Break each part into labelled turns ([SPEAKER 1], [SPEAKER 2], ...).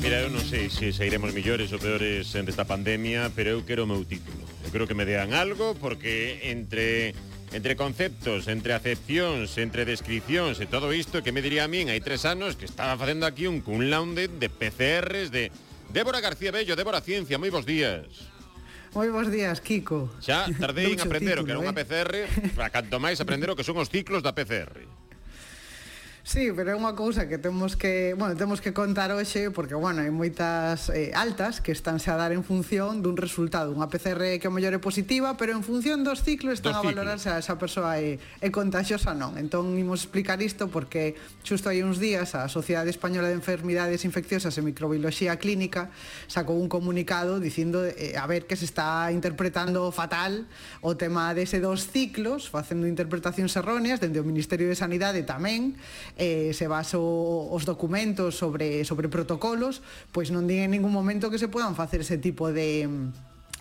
[SPEAKER 1] Mira, eu non sei se sairemos millores ou peores desta pandemia, pero eu quero o meu título. Eu quero que me dean algo, porque entre conceptos, entre acepcións, entre descripcións e todo isto que me diría a min hai 3 anos que estaba facendo aquí un cum laude de PCRs de Débora García Bello, Débora Ciencia, moi bons días.
[SPEAKER 2] Moi bons días, Kiko.
[SPEAKER 1] Xa tardei en aprender o que era unha PCR, para canto máis aprender o que son os ciclos da PCR.
[SPEAKER 2] Sí, pero é unha cousa que temos que contar hoxe porque, hai moitas altas que estánse a dar en función dun resultado, unha PCR que ao mellor é positiva, pero en función dos ciclos están a valorar se esa persoa é contagiosa ou non. Entón, imos explicar isto porque xusto hai uns días a Sociedade Española de Enfermidades Infecciosas e Microbioloxía Clínica sacou un comunicado dicindo a ver que se está interpretando fatal o tema dese dos ciclos, facendo interpretacións erróneas dende o Ministerio de Sanidade tamén. Se baso os documentos sobre protocolos, pois non din en ningún momento que se podan facer ese tipo de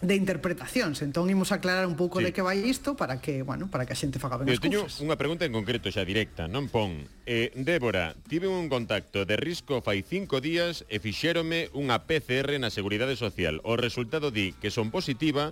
[SPEAKER 2] interpretacións. Entón imos aclarar un pouco de que vai isto para que a xente faga ben as cousas.
[SPEAKER 1] Teño unha pregunta en concreto xa directa, non pon. Débora, tive un contacto de risco fai 5 días e fixérome unha PCR na Seguridade Social. O resultado di que son positiva,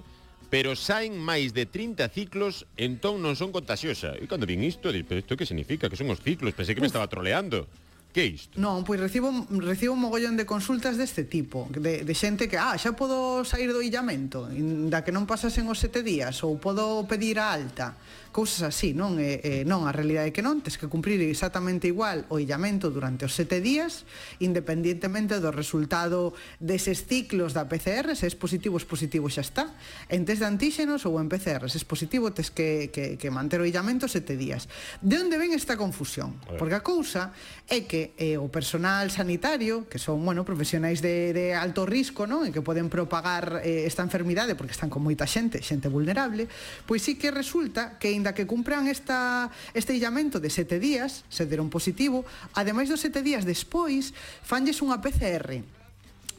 [SPEAKER 1] pero saen máis de 30 ciclos, entón non son contagiosa. E cando vin isto, pero isto que significa? Que son os ciclos? Pensei que me estaba troleando. Que é isto?
[SPEAKER 2] Non, pois recibo un mogollón de consultas deste tipo, de xente que, xa podo sair do illamento, da que non pasasen os 7 días, ou podo pedir a alta, cousas así, non? Non, a realidade é que non, tes que cumprir exactamente igual o illamento durante os 7 días, independientemente do resultado deses ciclos da PCR. Se é positivo xa está. En test de antíxenos ou en PCR, se é positivo, tes que manter o illamento 7 días. De onde ven esta confusión? Porque a cousa é que o personal sanitario, que son, profesionais de alto risco, non? E que poden propagar esta enfermidade porque están con moita xente vulnerable, pois sí que resulta que aínda que cumpran este illamento de 7 días, se deron positivo, ademais dos 7 días despois, fanlles unha PCR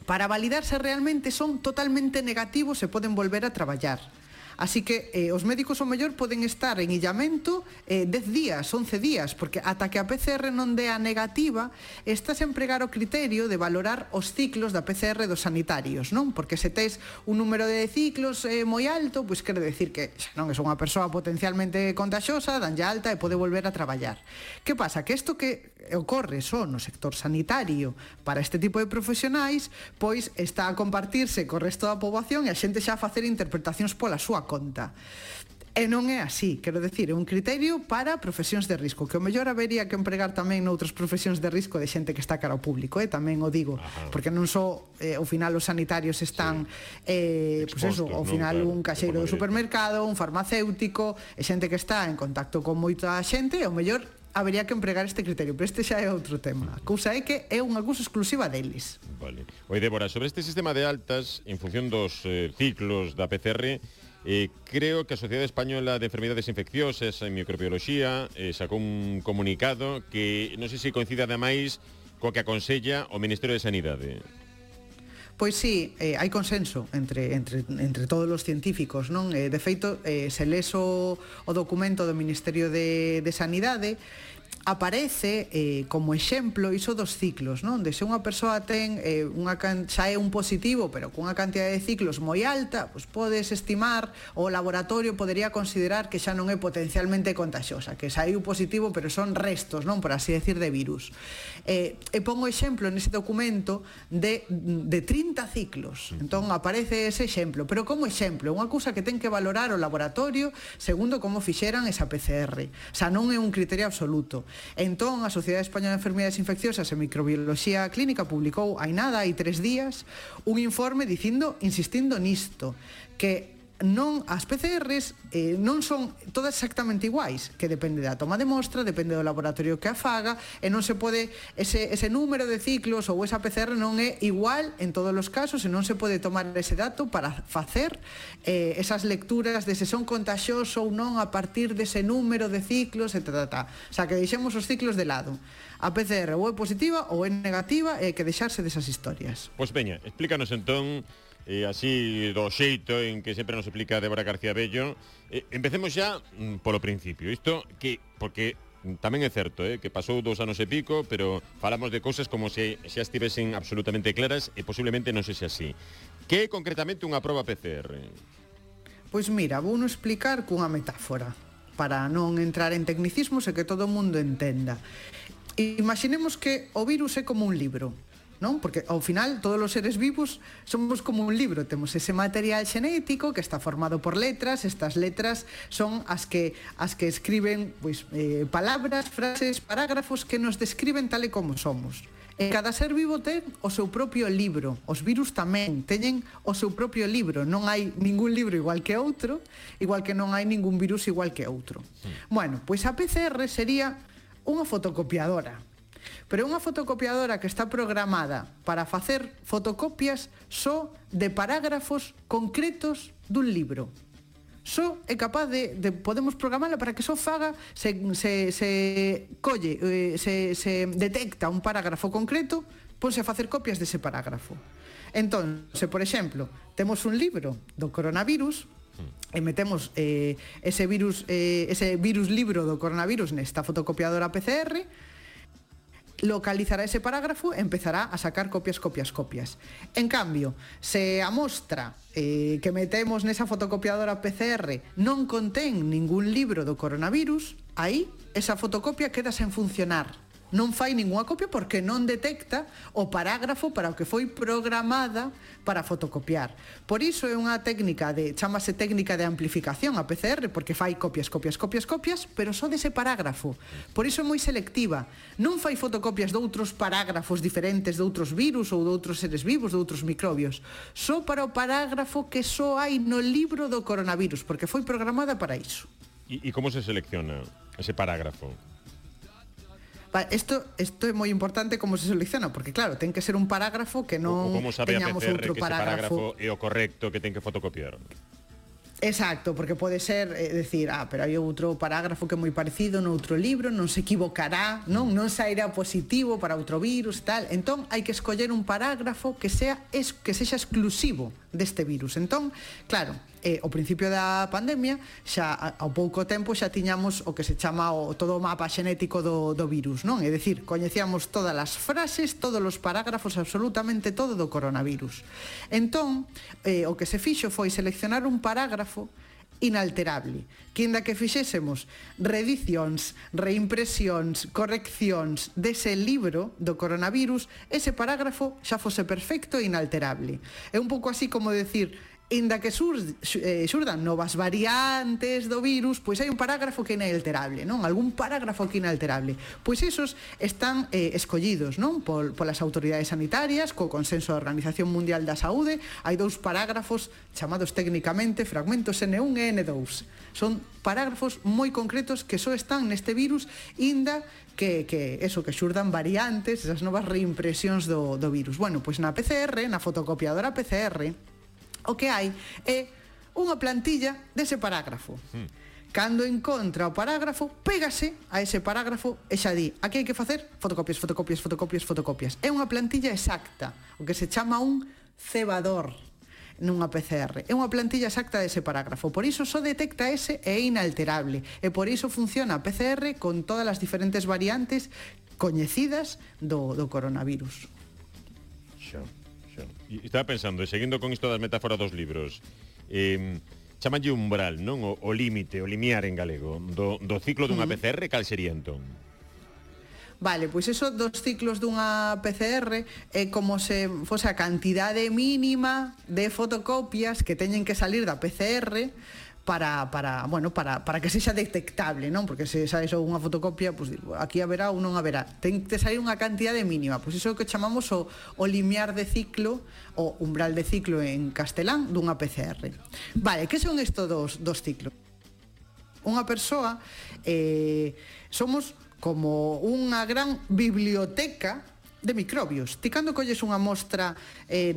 [SPEAKER 2] para validar se realmente son totalmente negativos e poden volver a traballar. Así que os médicos ao mellor poden estar en illamento 10 días, 11 días, porque ata que a PCR non dea negativa, estás a empregar o criterio de valorar os ciclos da PCR dos sanitarios, non? Porque se tes un número de ciclos moi alto, pois quere decir que xa non é unha persoa potencialmente contagiosa, danlle alta e pode volver a traballar. Que pasa? Que isto que ocorre só no sector sanitario para este tipo de profesionais, pois está a compartirse co resto da poboación e a xente xa a facer interpretacións pola súa conta. E non é así, quero decir, é un criterio para profesións de risco, que o mellor habería que empregar tamén noutras profesións de risco de xente que está cara ao público, tamén o digo, porque non só ao final os sanitarios están ao final un caxeiro do supermercado, un farmacéutico, e xente que está en contacto con moita xente, e o mellor habería que empregar este criterio, pero este xa é outro tema. A cousa é que é unha cousa exclusiva deles.
[SPEAKER 1] Vale. Oi, Débora, sobre este sistema de altas en función dos ciclos da PCR, creo que a Sociedade Española de Enfermidades Infecciosas e Microbioloxía sacou un comunicado que non sei se coincide ademais co que aconsella o Ministerio de Sanidade.
[SPEAKER 2] Pois sí, hai consenso entre todos os científicos, non? De feito, se les o documento do Ministerio de Sanidade, aparece como exemplo iso dos ciclos, non? De se unha persoa ten xa é un positivo, pero cunha cantidad de ciclos moi alta, pois podes estimar, o laboratorio podería considerar que xa non é potencialmente contagiosa, que saiu positivo, pero son restos, non? Por así decir, de virus. E pongo exemplo nese documento de 30 ciclos. Entón aparece ese exemplo, pero como exemplo, unha cousa que ten que valorar o laboratorio segundo como fixeran esa PCR. O sea, non é un criterio absoluto. Entón, a Sociedade Española de Enfermidades Infecciosas e Microbioloxía Clínica publicou hai 3 días un informe insistindo nisto, que as PCRs non son todas exactamente iguais, que depende da toma de mostra, depende do laboratorio que a faga, e non se pode ese número de ciclos ou esa PCR non é igual en todos os casos, e non se pode tomar ese dato para facer esas lecturas de se son contagiosos ou non a partir dese número de ciclos, etc. O sea, que deixemos os ciclos de lado. A PCR ou é positiva ou é negativa, e hai que deixarse desas historias.
[SPEAKER 1] Pois veña, explícanos entón, así do xeito en que sempre nos explica Débora García Bello. Empecemos xa polo principio. Isto que, porque tamén é certo, que pasou 2 anos e pico, pero falamos de cousas como se xa estivesen absolutamente claras e posiblemente non sexa así. Que é concretamente unha proba PCR?
[SPEAKER 2] Pois mira, vou non explicar cunha metáfora para non entrar en tecnicismos e que todo o mundo entenda. Imaginemos que o virus é como un libro, non? Porque ao final todos os seres vivos somos como un libro, temos ese material xenético que está formado por letras, estas letras son as que escriben pois, palabras, frases, parágrafos que nos describen tal e como somos. E cada ser vivo ten o seu propio libro, os virus tamén teñen o seu propio libro, non hai ningún libro igual que outro, igual que non hai ningún virus igual que outro. Bueno, pois a PCR sería unha fotocopiadora. Pero é unha fotocopiadora que está programada para facer fotocopias só de parágrafos concretos dun libro. Só é capaz de podemos programala para que só faga se detecta un parágrafo concreto, ponse a facer copias dese parágrafo. Entón, se por exemplo, temos un libro do coronavirus e metemos ese virus libro do coronavirus nesta fotocopiadora PCR, localizará ese parágrafo e empezará a sacar copias. En cambio, se a mostra que metemos nesa fotocopiadora PCR non contén ningún libro do coronavirus, aí esa fotocopia queda sen funcionar. Non fai ninguna copia porque non detecta o parágrafo para o que foi programada para fotocopiar. Por iso é unha técnica chamase técnica de amplificación a PCR, porque fai copias, pero só dese parágrafo. Por iso é moi selectiva. Non fai fotocopias de outros parágrafos diferentes de outros virus ou de outros seres vivos, de outros microbios. Só para o parágrafo que só hai no libro do coronavirus, porque foi programada para iso.
[SPEAKER 1] E como se selecciona ese parágrafo?
[SPEAKER 2] Isto é moi importante como se selecciona, porque claro, ten que ser un parágrafo que non teñamos outro
[SPEAKER 1] parágrafo é o correcto que ten que fotocopiar.
[SPEAKER 2] Exacto, porque pode ser decir, pero hai outro parágrafo que é moi parecido no outro libro, non se equivocará, non sairá positivo para outro virus, tal. Entón, hai que escoller un parágrafo que sexa exclusivo deste virus. Entón, claro, ao principio da pandemia, xa ao pouco tempo xa tiñamos o que se chama todo o mapa xenético do virus, non? É dicir, coñecíamos todas as frases, todos os parágrafos, absolutamente todo do coronavirus. Entón, o que se fixo foi seleccionar un parágrafo inalterable, que inda que fixésemos reedicións, reimpresións, correccións dese libro do coronavirus, ese parágrafo xa fose perfecto e inalterable. É un pouco así como decir, inda que xurdan novas variantes do virus, pois hai un parágrafo que é inalterable, non? Algún parágrafo que é inalterable. Pois esos están escollidos, non? Polas autoridades sanitarias, co consenso da Organización Mundial da Saúde. Hai 2 parágrafos chamados técnicamente fragmentos N1 e N2. Son parágrafos moi concretos que só están neste virus, inda que xurdan variantes, esas novas reimpresións do virus. Bueno, pois na PCR, na fotocopiadora PCR, o que hai é unha plantilla dese parágrafo. Cando encontra o parágrafo, pégase a ese parágrafo e xa di, aquí hai que facer fotocopias. É unha plantilla exacta, o que se chama un cebador nunha PCR. É unha plantilla exacta dese parágrafo. Por iso só detecta ese e é inalterable. E por iso funciona a PCR con todas as diferentes variantes coñecidas do coronavirus.
[SPEAKER 1] E estaba pensando, seguindo con isto das metáforas dos libros, chamanlle umbral, non? O límite, o limiar en galego do ciclo dunha PCR, cal sería entón?
[SPEAKER 2] Vale, pois eso dos ciclos dunha PCR é como se fose a cantidade mínima de fotocopias que teñen que salir da PCR para que sexa detectable, non? Porque se sai só unha fotocopia, pois aquí haberá ou non haberá. Ten que sair unha cantidade mínima, pois iso é o que chamamos o limiar de ciclo, o umbral de ciclo en castelán dunha PCR. Vale, que son estos dos ciclos? Unha persoa somos como unha gran biblioteca de microbios. Ti cando colles unha mostra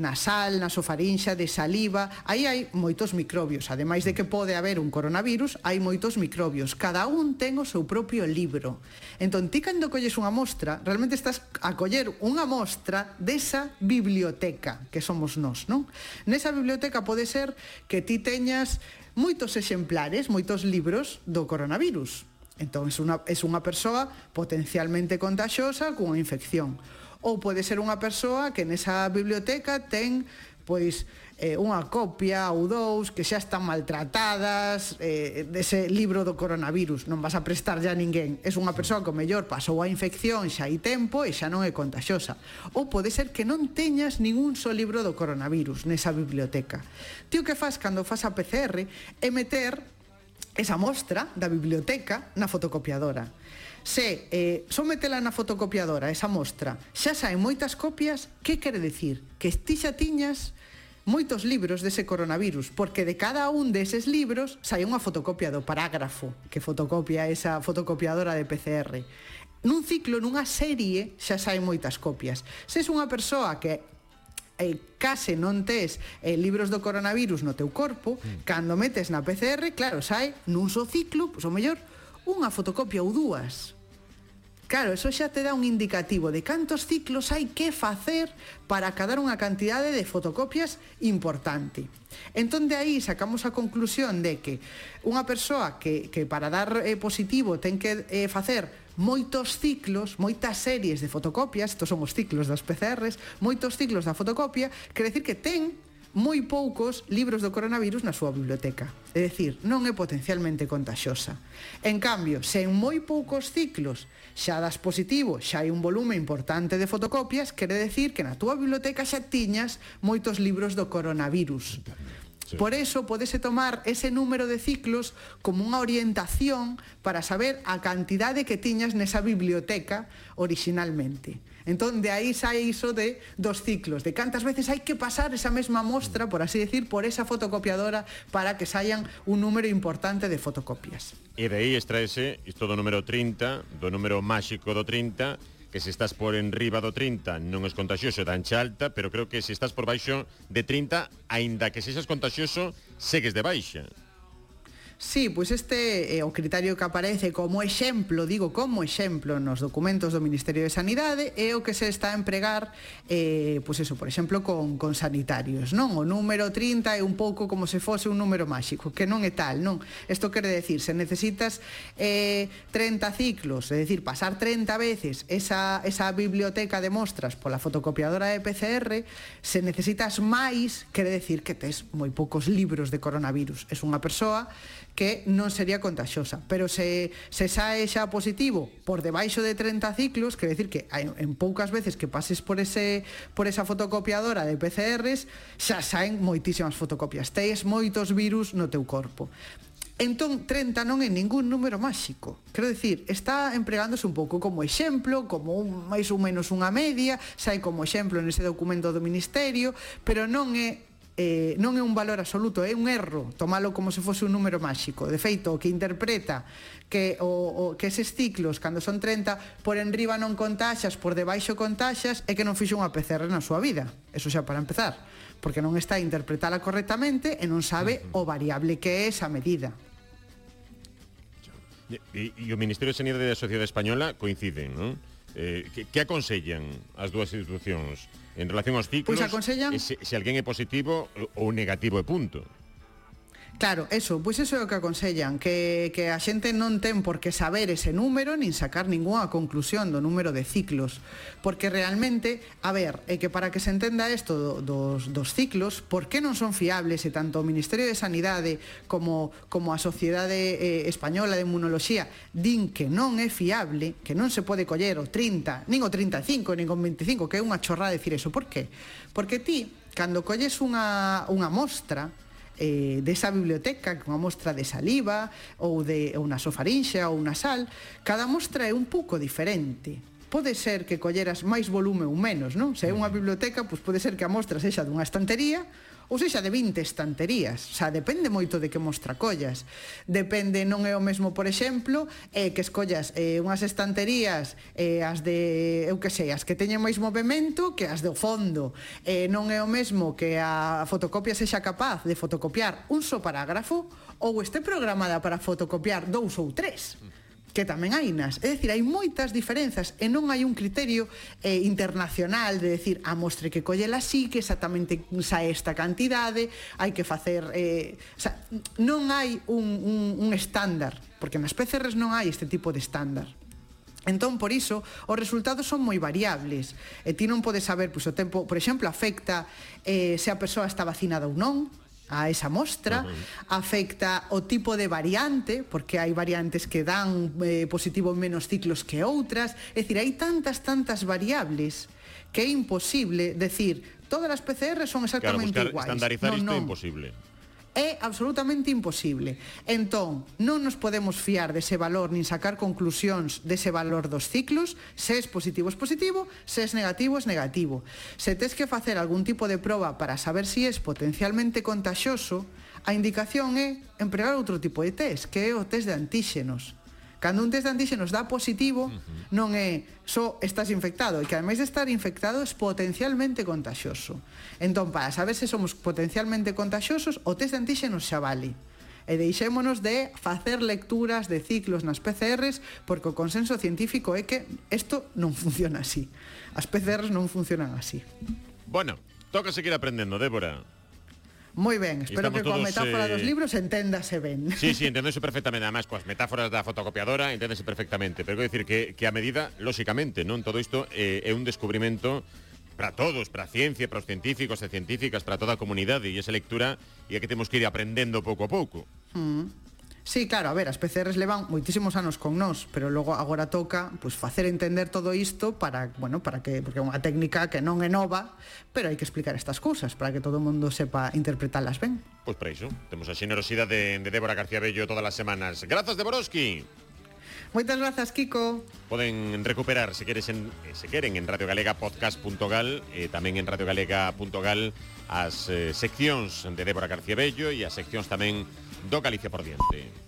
[SPEAKER 2] nasal, nasofarinxa, de saliva, aí hai moitos microbios. Ademais de que pode haber un coronavirus, hai moitos microbios. Cada un ten o seu propio libro. Entón, ti cando colles unha mostra, realmente estás a coller unha mostra desa biblioteca que somos nós, non? Nesa biblioteca pode ser que ti teñas moitos exemplares, moitos libros do coronavirus. Entón, é unha persoa potencialmente contagiosa cunha infección. Ou pode ser unha persoa que nesa biblioteca ten, pois, unha copia ou dous que xa están maltratadas dese libro do coronavirus. Non vas a prestarlle a ninguén. É unha persoa que o mellor pasou a infección xa hai tempo e xa non é contagiosa. Ou pode ser que non teñas ningún só libro do coronavirus nesa biblioteca. Ti o que faz cando fas a PCR é meter esa mostra da biblioteca na fotocopiadora. Se sometela na fotocopiadora, esa mostra, xa saen moitas copias, que quere dicir? Que ti xa tiñas moitos libros dese coronavirus, porque de cada un deses libros sai unha fotocopia do parágrafo que fotocopia esa fotocopiadora de PCR. Nun ciclo, nunha serie, xa saen moitas copias. Se és unha persoa que case non tes libros do coronavirus no teu corpo, cando metes na PCR, claro, sai nun só ciclo, pois o mellor, unha fotocopia ou dúas. Claro, eso xa te dá un indicativo de cantos ciclos hai que facer para acadar unha cantidade de fotocopias importante. Entón, de aí sacamos a conclusión de que unha persoa que para dar positivo ten que facer moitos ciclos, moitas series de fotocopias, estos son os ciclos das PCRs, moitos ciclos da fotocopia, quere decir que ten moi poucos libros do coronavirus na súa biblioteca. É dicir, non é potencialmente contagiosa. En cambio, se en moi poucos ciclos xa das positivo, xa hai un volume importante de fotocopias, quere decir que na túa biblioteca xa tiñas moitos libros do coronavirus. Por eso podese tomar ese número de ciclos como unha orientación para saber a cantidade que tiñas nesa biblioteca originalmente. Entón, de aí sai iso de dos ciclos, de cantas veces hai que pasar esa mesma mostra, por así decir, por esa fotocopiadora para que saian un número importante de fotocopias.
[SPEAKER 1] E de aí extraese isto do número 30, do número máxico do 30, que se estás por enriba do 30 non es contagioso, dancha alta, pero creo que se estás por baixo de 30, aínda que sexas contagioso, segues de baixa.
[SPEAKER 2] Sí, pois este é o criterio que aparece como exemplo, digo como exemplo nos documentos do Ministerio de Sanidade, é o que se está a empregar, pois eso, por exemplo, con sanitarios, non? O número 30 é un pouco como se fose un número máxico, que non é tal, non? Isto quere decir, se necesitas 30 ciclos, é dicir, pasar 30 veces esa biblioteca de mostras pola fotocopiadora de PCR, se necesitas máis, quere decir que tes moi poucos libros de coronavirus. Es unha persoa que non sería contagiosa, pero se sae xa positivo por debaixo de 30 ciclos, quere decir que en poucas veces que pases por esa fotocopiadora de PCRs, xa saen moitísimas fotocopias, tes moitos virus no teu corpo. Entón, 30 non é ningún número máxico. Quero dicir, está empregándose un pouco como exemplo, como máis ou menos unha media, sai como exemplo nese documento do Ministerio, pero non é un valor absoluto, é un erro tomalo como se fose un número máxico. De feito, o que interpreta que eses ciclos, cando son 30, por enriba non contaxas, por debaixo contaxas, é que non fixo unha PCR na súa vida. Eso xa para empezar, porque non está a interpretala correctamente e non sabe o variable que é esa medida.
[SPEAKER 1] E o Ministerio de Sanidade e a Sociedade Española coinciden, non? Que aconsellan as dúas institucións en relación aos ciclos?
[SPEAKER 2] Pois aconsellan
[SPEAKER 1] se alguén é positivo ou negativo e punto.
[SPEAKER 2] Claro, pois eso é o que aconsellan, que a xente non ten por que saber ese número nin sacar ningunha conclusión do número de ciclos, porque realmente, a ver, é que para que se entenda isto dos ciclos, por que non son fiables, e tanto o Ministerio de Sanidade como a Sociedade Española de Inmunoloxía din que non é fiable, que non se pode coller o 30, nin o 35, nin o 25, que é unha chorrada decir eso. Por que? Porque ti, cando colles unha mostra desa biblioteca, unha mostra de saliva ou de unha sofarinxa ou unha sal, cada mostra é un pouco diferente. Pode ser que colleras máis volume ou menos, non? Se é unha biblioteca, pois pode ser que a mostra sexa dunha estantería ou sexa de 20 estanterías. O sea, depende moito de que mostra collas. Depende, non é o mesmo, por exemplo, que escollas unhas estanterías, as de, eu que sei, as que teñen máis movimento que as do fondo. Non é o mesmo que a fotocopia sexa capaz de fotocopiar un só parágrafo ou este programada para fotocopiar 2 ou 3. que tamén hai nas. É dicir, hai moitas diferenzas e non hai un criterio internacional de decir a mostre que collela así, que exactamente sae esta cantidade, hai que facer... o sea, non hai un estándar, porque nas PCRs non hai este tipo de estándar. Entón, por iso, os resultados son moi variables. E ti non podes saber, pois, o tempo, por exemplo, afecta se a persoa está vacinada ou non, a esa mostra, afecta o tipo de variante, porque hai variantes que dan positivo en menos ciclos que outras, é dicir, hai tantas variables que é imposible decir, todas as PCR son exactamente
[SPEAKER 1] iguais.
[SPEAKER 2] Claro,
[SPEAKER 1] estandarizar isto é imposible.
[SPEAKER 2] É absolutamente imposible. Entón, non nos podemos fiar dese valor nin sacar conclusións dese valor dos ciclos. Se é positivo, se é negativo, é negativo. Se tes que facer algún tipo de proba para saber se é potencialmente contagioso, a indicación é empregar outro tipo de test, que é o test de antíxenos. Cando un test de antíxenos dá positivo, non é só estás infectado, e que ademais de estar infectado es potencialmente contagioso. Entón, para saber se somos potencialmente contagiosos, o test de antíxenos xa vale. E deixémonos de facer lecturas de ciclos nas PCRs, porque o consenso científico é que isto non funciona así. As PCRs non funcionan así.
[SPEAKER 1] Bueno, toca seguir aprendendo, Débora.
[SPEAKER 2] Moi ben, espero que coa metáfora dos libros enténdase ben.
[SPEAKER 1] Sí, enténdese perfectamente, además coas metáforas da fotocopiadora enténdese perfectamente, pero quero dicir que a medida, lóxicamente, non todo isto é un descubrimento para todos, para a ciencia, para os científicos e científicas, para toda a comunidade, e esa lectura é que temos que ir aprendendo pouco a pouco.
[SPEAKER 2] Sí, claro, a ver, as PCRs levan moitísimos anos con nós, pero logo agora toca pues, facer entender todo isto para que, porque é unha técnica que non é nova, pero hai que explicar estas cousas para que todo o mundo sepa interpretalas ben.
[SPEAKER 1] Pois para iso, temos a xenerosidade de Débora García Bello todas as semanas. Grazas, Deboroski.
[SPEAKER 2] Moitas grazas, Kiko.
[SPEAKER 1] Poden recuperar, se queren, en radiogalegapodcast.gal e tamén en radiogalega.gal as seccións de Débora García Bello e as seccións tamén do Galicia por diante.